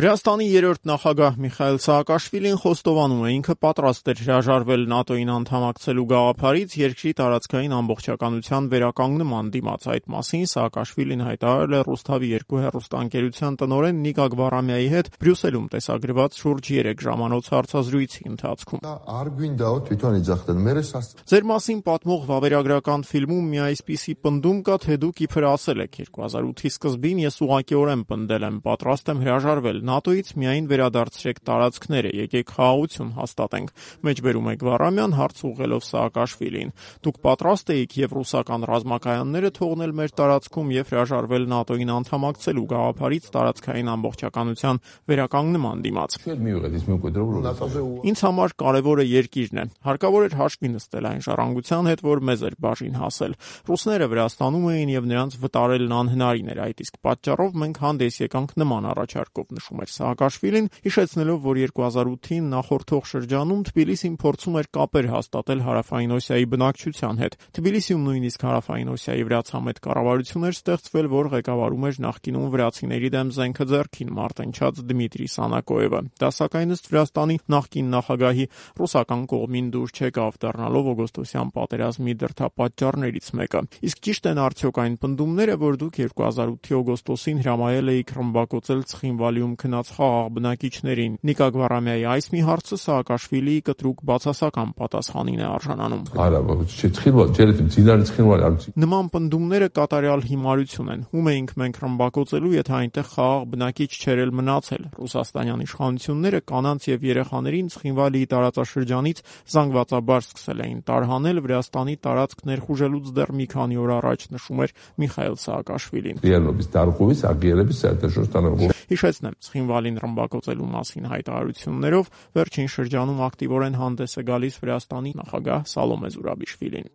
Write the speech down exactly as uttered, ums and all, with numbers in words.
Վրաստանի երրորդ նախագահ Միխայիլ Սաակաշվիլին խոստովանում է, ինքը պատրաստ էր հրաժարվել ՆԱՏՕ-ին անդամակցելու գաղափարից երկրի տարածքային ամբողջականության վերականգնման դիմաց։ Այդ մասին Սաակաշվիլին հայտարարել է Ռուսթավի երկու հեռուստաընկերության տնօրեն Նիկա Գվարամյայի հետ Բրյուսելում տեսագրված շուրջ երեք ժամանոց հարցազրույցի ընթացքում։ Ձեր մասին պատմող վավերագրական ֆիլմում մի այսպիսի պնդում կա, թե դուք իբր ասել եք երկու հազար ութի սկզբին ես ուղղակիորեն պնդել եմ, պատրաստ եմ հրաժարվել ՆԱՏՕ-ից, միայն վերադարձրեք տարածքները, եկեք խաղաղություն հաստատենք, մեջբերում է Գվարամյան հարց ուղղելով Սաակաշվիլին։ Դուք պատրաստ էիք եւ ռուսական ռազմակայանները թողնել մեր տարածքում եւ հրաժարվել ՆԱՏՕ-ին անդամակցելու գաղափարից տարածքային ամբողջականության վերականգնման դիմաց։ Ինձ համար կարևորը երկիրն է։ Հարկավոր էր հաշվի նստել այն ժառանգության հետ, որ մեզ էր բաժին հասել։ Ռուսները Վրաստանում էին եւ նրանց վտարելն անհնարին էր, այդ իսկ պատճառով մենք հանդես եկանք նման առաջարկով, նշում էր Սաակաշվիլին, հիշեցնելով, որ երկու հազար ութին նախորդող շրջանում Թբիլիսին փորձում էր կապեր հաստատել Հարավային Օսիայի բնակչության հետ։ Թբիլիսիում նույնիսկ Հարավային Օսիայի վրացամետ կառավարություն էր ստեղծվել, որ ղեկավարում էր նախկինում վրացիների դեմ զենքը ձեռքին մարտընչած Դմիտրի Սանակոևը։ Դա սակայն ըստ Վրաստանի նախկին նախագահի ռուսական կողմին դուր չեկավ, դառնալով օգոստոսյան պատերազմի դրդապատճառներից մեկը։ Իսկ ճիշտ են արդյոք այն պնդումները, որ դուք երկու հազար ութի օգոստոսին հրամայել էիք ռմբակոծել Ցխինվալիում քնած խաղաղ բնակիչներին։ Նիկա Գվարամյայի այս մի հարցը Սաակաշվիլիի կտրուկ բացասական պատասխանին է արժանանում։ Նման պնդումները կատարյալ հիմարություն են։ Ում էինք մենք ռմբակոծելու, եթե այնտեղ խաղաղ բնակիչ չէր էլ մնացել։ Ռուսաստանյան իշխանությունները կանանց եւ երեխաներին Ցխինվալիի տարածաշրջանից զանգվածաբար սկսել էին տարհանել, Վրաստանի տարածք ներխուժելուց դեռ մի քանի օր առաջ, նշում էր Միխայիլ Սաակաշվիլին։ Հիշեցնեմ, Ցխինվալին ռմբակոծելու մասին հայտարարություններով վերջին շրջանում ակտիվորեն հանդես է գալիս Վրաստանի նախագահ Սալոմե Զուրաբիշվիլին։